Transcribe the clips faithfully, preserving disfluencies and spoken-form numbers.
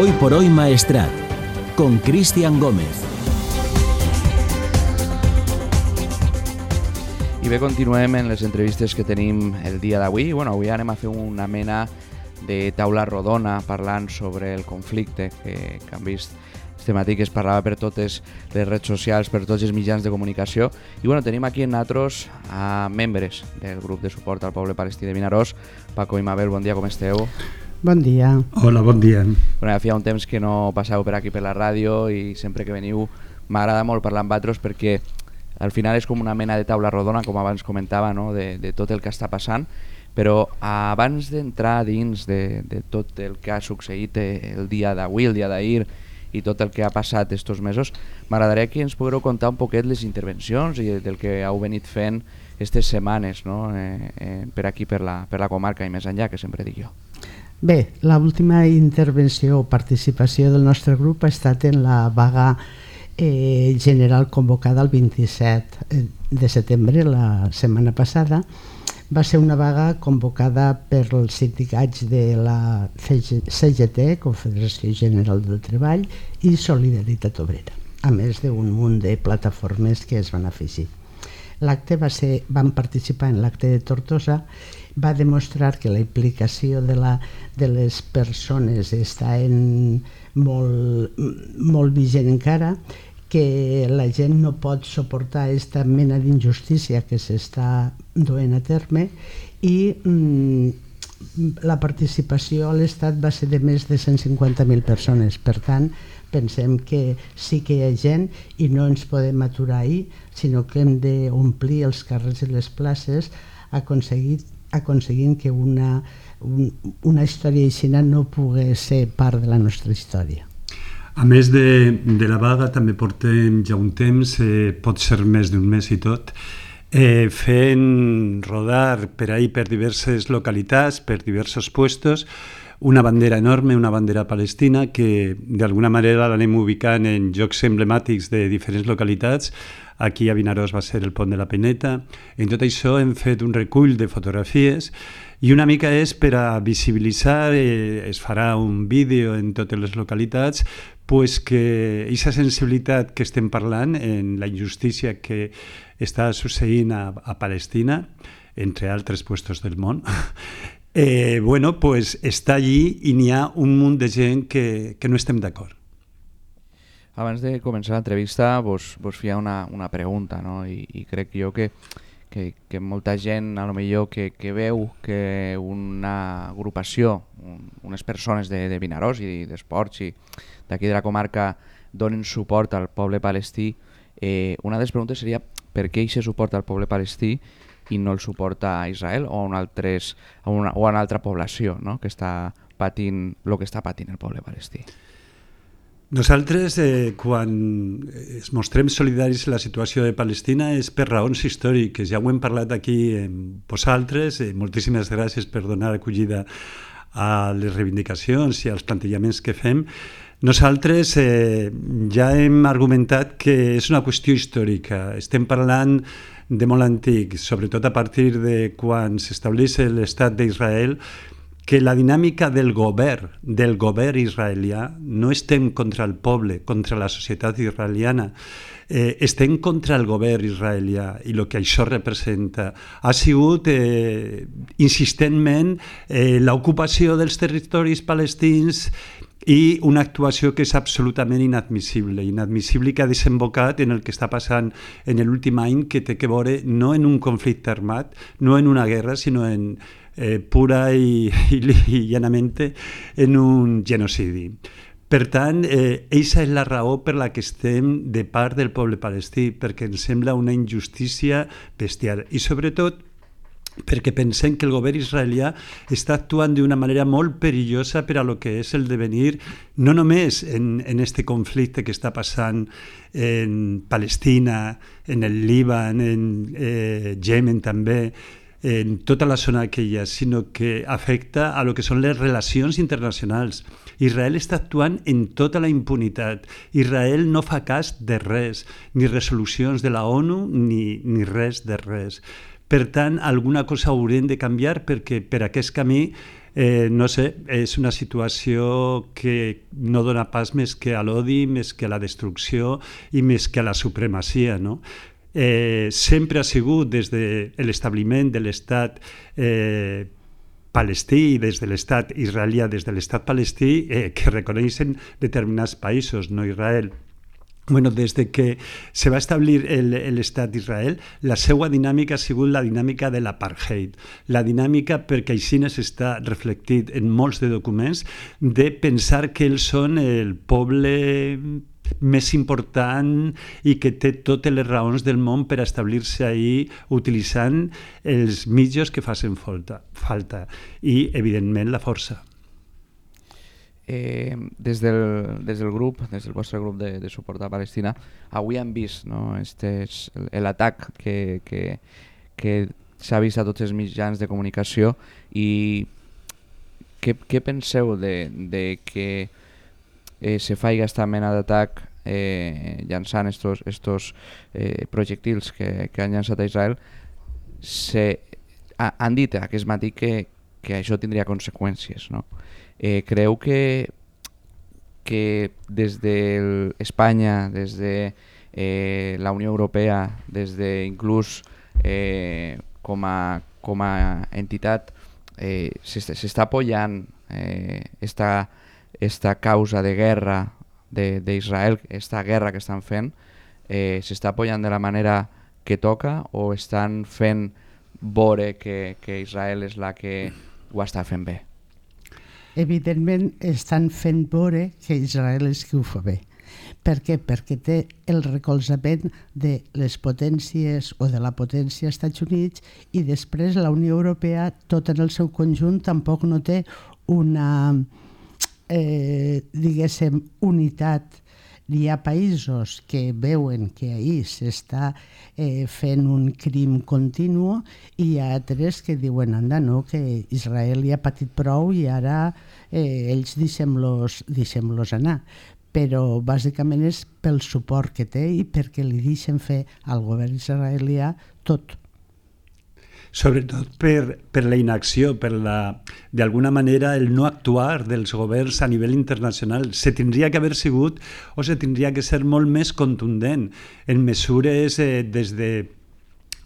Hoy por hoy Maestrat, con Cristian Gómez. I bé, continuem en les entrevistes que tenim el dia d'avui. Bueno, avui anem a fer una mena de taula rodona parlant sobre el conflicte que, que han vist este matí, que es parlava per totes les redes socials, per tots els mitjans de comunicació. I bueno, tenim aquí en nosaltres a membres del grup de suport al poble palestí de Vinaròs. Paco i Mabel, bon dia, com esteu? Bon dia. Hola, bon dia. Bueno, ja feia un temps que no passeu per aquí per la ràdio i sempre que veniu m'agrada molt parlar amb vosaltres perquè al final és com una mena de taula rodona, com abans comentava, no? de, de tot el que està passant, però abans d'entrar dins de, de tot el que ha succeït el dia d'avui, el dia d'ahir i tot el que ha passat estos mesos, m'agradaria que ens pogueu contar un poquet les intervencions i del que heu venit fent aquestes setmanes, no? eh, eh, per aquí, per la, per la comarca i més enllà, que sempre dic jo. Bé, l'última intervenció o participació del nostre grup ha estat en la vaga Eh, general convocada el vint-i-set de setembre, la setmana passada. Va ser una vaga convocada per els sindicats de la C G T, Confederació General del Treball, i Solidaritat Obrera, a més d'un munt de plataformes que es van afegir. L'acte va ser, van participar en l'acte de Tortosa, va demostrar que la implicació de, la, de les persones està en molt, molt vigent encara, que la gent no pot suportar aquesta mena d'injustícia que s'està duent a terme i mm, la participació a l'Estat va ser de més de cent cinquanta mil persones. Per tant, pensem que sí que hi ha gent i no ens podem aturar ahir, sinó que hem d'omplir els carrers i les places aconseguint, aconseguint que una, un, una història així no pugui ser part de la nostra història. A més de, de la vaga, també portem ja un temps, eh, pot ser més d'un mes i tot, eh, fent rodar per ahí per diverses localitats, per diversos puestos, una bandera enorme, una bandera palestina, que d'alguna manera l'anem ubicant en llocs emblemàtics de diferents localitats. Aquí a Vinaròs va ser el Pont de la Pineta. En tot això hem fet un recull de fotografies i una mica és per a visibilitzar, eh, es farà un vídeo en totes les localitats, pues que aquesta sensibilitat que estem parlant en la injustícia que està succeint a, a Palestina, entre altres puestos del món, eh, bueno, pues està allí i n'hi ha un munt de gent que, que no estem d'acord. Abans de començar l'entrevista vos, vos feia una, una pregunta, no? I, i crec jo que, que, que molta gent a lo millor que, que veu que una agrupació, un, unes persones de, de Vinaròs i d'esports i d'aquí de la comarca donen suport al poble palestí, eh, una de les preguntes seria per què aquest suport al poble palestí i no el suporta a Israel o a una, altres, a una, o a una altra població, no? que està patint el que està patint el poble palestí. Nosaltres, eh, quan es mostrem solidaris en la situació de Palestina és per raons històriques. Ja ho hem parlat aquí amb vosaltres. Eh, moltíssimes gràcies per donar acollida a les reivindicacions i als plantejaments que fem. Nosaltres eh, ja hem argumentat que és una qüestió històrica. Estem parlant de molt antic, sobretot a partir de quan s'estableix l'estat d'Israel, que la dinàmica del govern, del govern israelià, no estem contra el poble, contra la societat israeliana, eh, estem contra el govern israelià i el que això representa. Ha sigut eh, insistentment eh, l'ocupació dels territoris palestins i una actuació que és absolutament inadmissible, inadmissible que ha desembocat en el que està passant en l'últim any, que té que veure no en un conflicte armat, no en una guerra, sinó en eh, pura i, i, i llanamente en un genocidi. Per tant, eh, eixa és la raó per la que estem de part del poble palestí, perquè ens sembla una injustícia bestial i sobretot perquè pensem que el govern israelià està actuant d'una manera molt perillosa per a lo que és el devenir, no només en, en este conflicte que està passant en Palestina, en el Líban, en eh, Yemen també, en tota la zona aquella, sinó que afecta a lo que són les relacions internacionals. Israel està actuant en tota la impunitat. Israel no fa cas de res, ni resolucions de la ONU, ni, ni res de res. Per tant, alguna cosa haurem de canviar perquè per aquest camí Eh, no sé, és una situació que no dona pas més que a l'odi, més que a la destrucció i més que a la supremacia, no? Eh, sempre ha sigut des de l'establiment de l'estat eh, palestí i des de l'estat israelià, des de l'estat palestí, eh, que reconeixen determinats països, no Israel. Bueno, des de que se va establir l'estat d'Israel, la seva dinàmica ha sigut la dinàmica de l'apartheid. La dinàmica, perquè així s'està reflectit en molts de documents, de pensar que ells són el poble més important i que té totes les raons del món per establir-se ahí utilitzant els mitjans que facin falta, falta i, evidentment, la força. Eh, des, del, des del grup, des del vostre grup de, de suport a Palestina, avui hem vist, no, este és l'atac que, que, que s'ha vist a tots els mitjans de comunicació i què, què penseu de, de que eh, se faci aquesta mena d'atac eh, llançant estos, estos eh, projectils que, que han llançat a Israel? Se, ha, han dit aquest matí que, que això tindria conseqüències, no? Eh, creu que, que des d'Espanya, des de eh, la Unió Europea, des de inclús eh, com, a, com a entitat eh, s'està apoyant eh, esta, esta causa de guerra d'Israel, esta guerra que estan fent, eh, s'està apoyant de la manera que toca o estan fent veure que, que Israel és la que ho està fent bé? Evidentment estan fent veure que Israel és qui ho fa bé. Per què? Perquè té el recolzament de les potències o de la potència als Estats Units i després la Unió Europea, tot en el seu conjunt, tampoc no té una, eh, diguéssim, unitat. Hi ha països que veuen que ahir s'està eh, fent un crim continu i hi ha altres que diuen anda, no, que Israel ja ha patit prou i ara eh, ells deixem-los deixem-los anar. Però bàsicament és pel suport que té i perquè li deixen fer al govern israelià tot. Sobretot per, per la inacció, per la, d'alguna manera el no actuar dels governs a nivell internacional. Se tindria que haver sigut o se tindria que ser molt més contundent en mesures eh, des de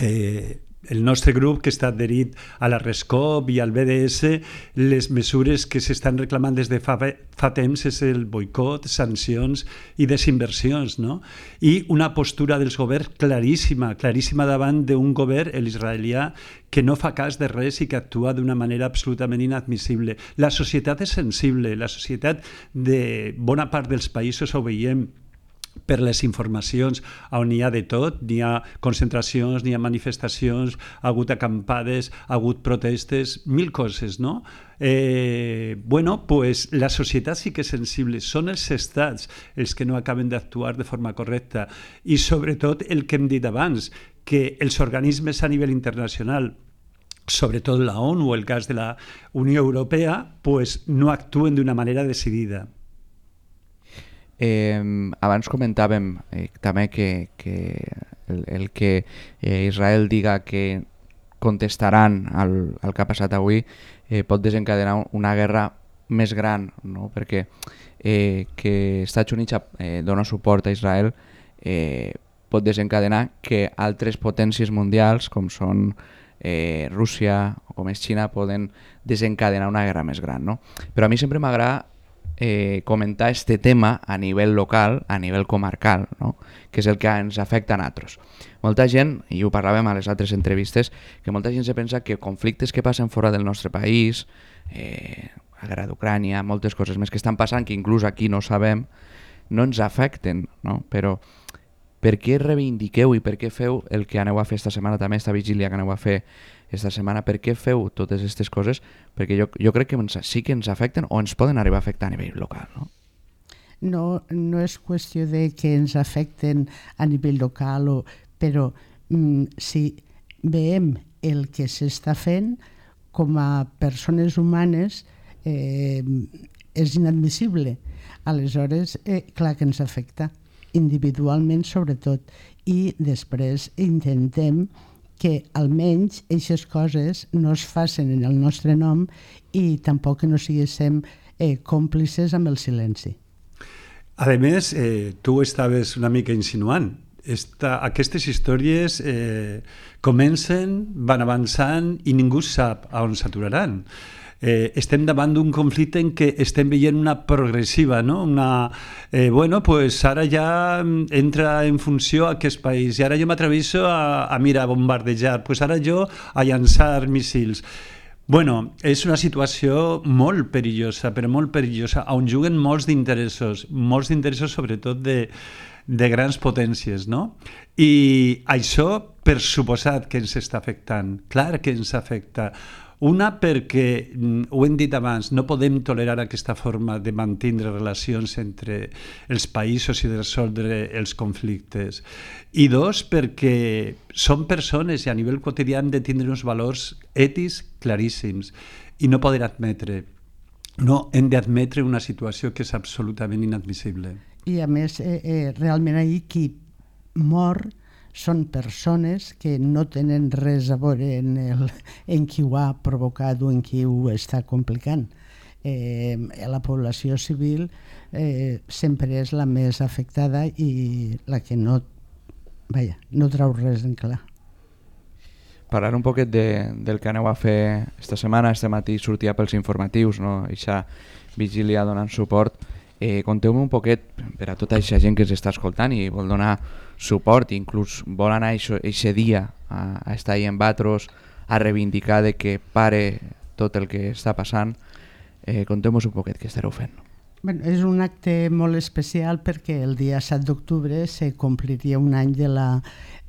eh, el nostre grup que està adherit a la RESCOP i al B D S, les mesures que s'estan reclamant des de fa, fa temps és el boicot, sancions i desinversions, no? I una postura dels governs claríssima, claríssima davant d'un govern, l'israelià, que no fa cas de res i que actua d'una manera absolutament inadmissible. La societat és sensible, la societat de bona part dels països ho veiem per les informacions on n'hi ha de tot, n'hi ha concentracions, n'hi ha manifestacions, ha hagut acampades, ha hagut protestes, mil coses, no? Eh, bueno, pues la societat sí que és sensible, són els estats els que no acaben d'actuar de forma correcta i sobretot el que hem dit abans, que els organismes a nivell internacional, sobretot la ONU o el cas de la Unió Europea, pues no actuen d'una manera decidida. Eh, abans comentàvem eh, també que, que el, el que eh, Israel diga que contestaran al, al que ha passat avui eh, pot desencadenar una guerra més gran, no? Perquè eh, que Estats Units eh, dona suport a Israel eh, pot desencadenar que altres potències mundials com són eh, Rússia o com és Xina poden desencadenar una guerra més gran, no? Però a mi sempre m'agrada Eh, comentar este tema a nivell local, a nivell comarcal, no? Que és el que ens afecta a nosaltres. Molta gent, i ho parlàvem a les altres entrevistes, que molta gent se pensa que conflictes que passen fora del nostre país, eh, la guerra d'Ucrània, moltes coses més que estan passant, que inclús aquí no sabem, no ens afecten, no? Però per què reivindiqueu i per què feu el que aneu a fer esta setmana, també esta vigília que aneu a fer esta setmana, per què feu totes aquestes coses? Perquè jo, jo crec que ens, sí que ens afecten o ens poden arribar a afectar a nivell local, no? No, no és qüestió de que ens afecten a nivell local, o, però mm, si veiem el que s'està fent com a persones humanes eh, és inadmissible. Aleshores, eh, clar que ens afecta, individualment sobretot, i després intentem que almenys aquestes coses no es facin en el nostre nom i tampoc que no siguéssim eh, còmplices amb el silenci. A més, eh, tu estaves una mica insinuant. Esta, aquestes històries eh, comencen, van avançant i ningú sap a on s'aturaran. Eh, estem davant d'un conflicte en què estem veient una progressiva, no? Una, eh, bueno, pues ara ja entra en funció aquest país i ara jo m'atreviso a, a mira, a bombardejar, pues ara jo a llançar míssils. Bueno, és una situació molt perillosa, però molt perillosa, on juguen molts d'interessos, molts d'interessos sobretot de, de grans potències, no? I això, per suposat que ens està afectant, clar que ens afecta. Una, perquè, ho hem dit abans, no podem tolerar aquesta forma de mantenir relacions entre els països i de resoldre els conflictes. I dos, perquè som persones i a nivell quotidià hem de tindre uns valors ètics claríssims i no poder admetre, no hem d'admetre una situació que és absolutament inadmissible. I a més, eh, eh, realment ahir qui mor són persones que no tenen res a veure en, el, en qui ho ha provocat o en qui ho està complicant. Eh, la població civil eh, sempre és la més afectada i la que no, vaja, no trau res en clar. Parlar un poquet de, del que aneu a fer esta setmana. Este matí sortia pels informatius, no? Eixa vigília donant suport. Eh, Conteu-me un poquet per a tota aquesta gent que s'està escoltant i vol donar suport, inclús vol anar aquest dia a, a estar ahí en Batros, a reivindicar de que pare tot el que està passant. Eh, Conteu-nos un poquet què estareu fent. Bueno, és un acte molt especial perquè el dia set d'octubre se compliria un any de la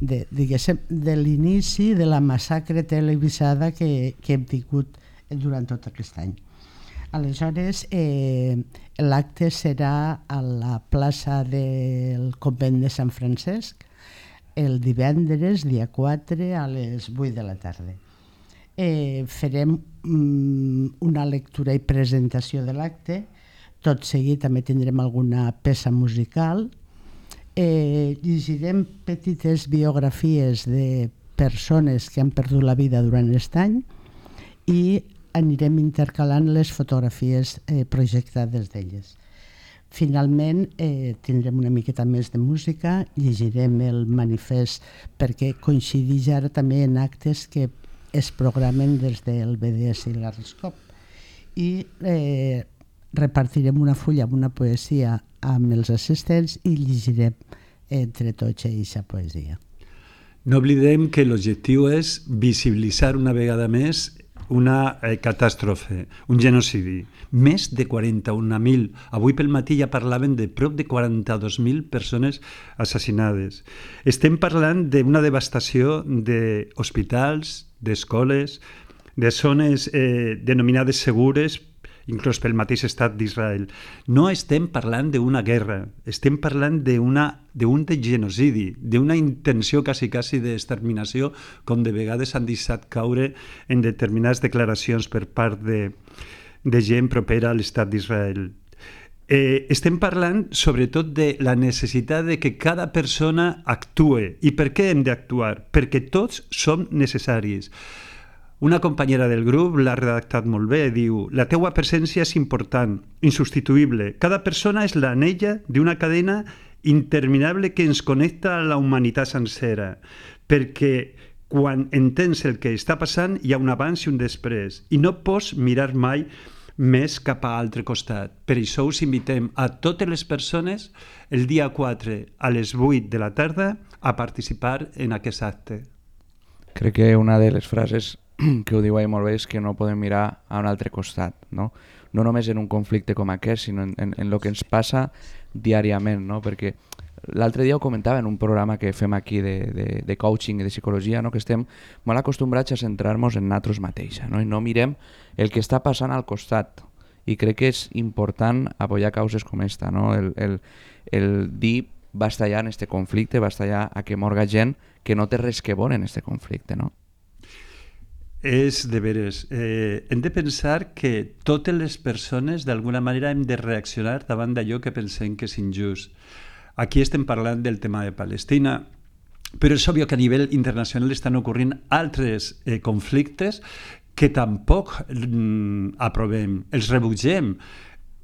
de, diguéssim, de l'inici de la massacre televisada que, que hem tingut durant tot aquest any. Aleshores, eh, l'acte serà a la plaça del convent de Sant Francesc el divendres, dia quatre, a les vuit de la tarda. Eh, farem mm, una lectura i presentació de l'acte. Tot seguit també tindrem alguna peça musical. Eh, llegirem petites biografies de persones que han perdut la vida durant aquest any i anirem intercalant les fotografies eh, projectades d'elles. Finalment, eh, tindrem una miqueta més de música, llegirem el manifest perquè coincideix ara també en actes que es programen des del B D S i l'Arriscop. I eh, repartirem una fulla amb una poesia amb els assistents i llegirem entre tots aquesta poesia. No oblidem que l'objectiu és visibilitzar una vegada més una eh, catàstrofe, un genocidi. Més de quaranta-un mil. Avui pel matí ja parlaven de prop de quaranta-dos mil persones assassinades. Estem parlant d'una devastació d'hospitals, d'escoles, de zones eh, denominades segures, inclús pel mateix estat d'Israel. No estem parlant d'una guerra, estem parlant d'un genocidi, d'una intenció quasi, quasi d'exterminació, com de vegades han deixat caure en determinades declaracions per part de, de gent propera a l'estat d'Israel. Eh, estem parlant sobretot de la necessitat de que cada persona actue. I per què hem d'actuar? Perquè tots som necessaris. Una companyera del grup l'ha redactat molt bé, diu: la teua presència és important, insubstituïble. Cada persona és l'anella d'una cadena interminable que ens connecta a la humanitat sencera, perquè quan entens el que està passant hi ha un abans i un després, i no pots mirar mai més cap a l'altre costat. Per això us invitem a totes les persones el dia quatre a les vuit de la tarda a participar en aquest acte. Crec que una de les frases que ho diu ahí molt bé és que no podem mirar a un altre costat, no? No només en un conflicte com aquest, sinó en, en, en el que ens passa diàriament, no? Perquè l'altre dia ho comentava en un programa que fem aquí de, de, de coaching i de psicologia, no? Que estem molt acostumbrats a centrar-nos en nosaltres mateixa, no? I no mirem el que està passant al costat. I crec que és important apoyar causes com esta, no? El, el, el dir basta ja en este conflicte, basta ja a que morga gent que no té res que veure en este conflicte, no? És de veres. Eh, hem de pensar que totes les persones d'alguna manera hem de reaccionar davant d'allò que pensem que és injust. Aquí estem parlant del tema de Palestina, però és obvi que a nivell internacional estan ocorrent altres eh, conflictes que tampoc mm, aprovem, els rebutgem.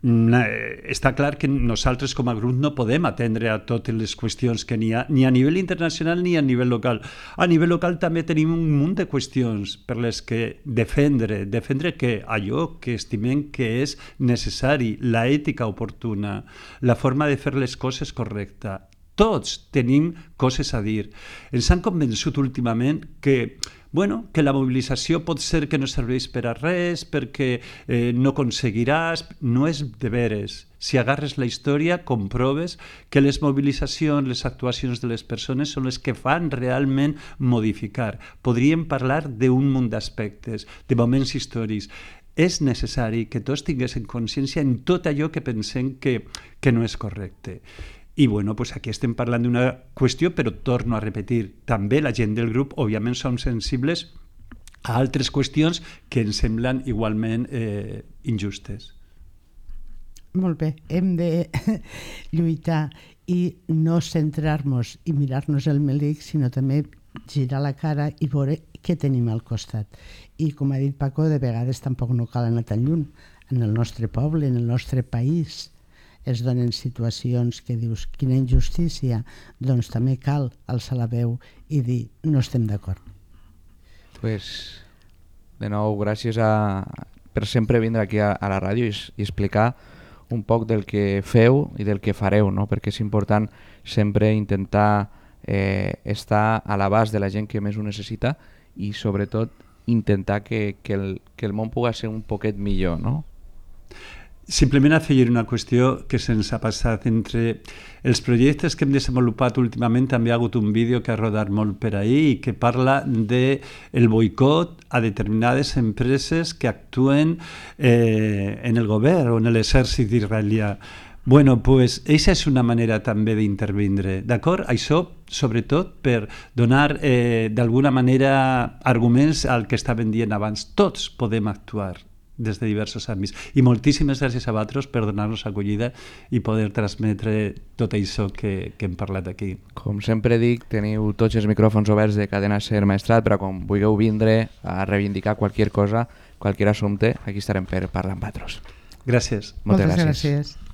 Està clar que nosaltres com a grup no podem atendre a totes les qüestions que n'hi ha, ni a nivell internacional ni a nivell local. A nivell local també tenim un munt de qüestions per les que defendre, defendre que allò que estimem que és necessari, la ètica oportuna, la forma de fer les coses correcta. Tots tenim coses a dir. Ens han convençut últimament que Bueno, que la mobilització pot ser que no serveix per a res, perquè eh, no aconseguiràs... No és de veres. Si agarres la història, comproves que les mobilitzacions, les actuacions de les persones són les que fan realment modificar. Podríem parlar d'un munt d'aspectes, de moments històrics. És necessari que tots tinguessin consciència en tot allò que pensem que, que no és correcte. I bueno, pues aquí estem parlant d'una qüestió, però torno a repetir, també la gent del grup, òbviament, som sensibles a altres qüestions que ens semblen igualment eh, injustes. Molt bé, hem de lluitar i no centrar-nos i mirar-nos el melic, sinó també girar la cara i veure què tenim al costat. I com ha dit Paco, de vegades tampoc no cal anar tan lluny. En el nostre poble, en el nostre país, es donen situacions que dius quina injustícia, doncs també cal alçar la veu i dir no estem d'acord. Pues, de nou, gràcies a, per sempre vindre aquí a, a la ràdio i, i explicar un poc del que feu i del que fareu, no? Perquè és important sempre intentar eh, estar a l'abast de la gent que més ho necessita i sobretot intentar que, que, el, que el món pugui ser un poquet millor, no? Simplement afegir una qüestió que se'ns ha passat. Entre els projectes que hem desenvolupat últimament també ha hagut un vídeo que ha rodat molt per ahir i que parla del boicot a determinades empreses que actuen eh, en el govern o en l'exèrcit israelià. Bueno, pues, eixa és una manera també d'intervindre, d'acord? Això, sobretot, per donar eh, d'alguna manera arguments al que estaven dient abans. Tots podem actuar des de diversos àmbits. I moltíssimes gràcies a vosaltres per donar-nos acollida i poder transmetre tot això que, que hem parlat aquí. Com sempre dic, teniu tots els micròfons oberts de Cadena Ser Maestrat, però quan vulgueu vindre a reivindicar qualsevol cosa, qualsevol assumpte, aquí estarem per parlar amb vosaltres. Gràcies. Moltes, Moltes gràcies. gràcies.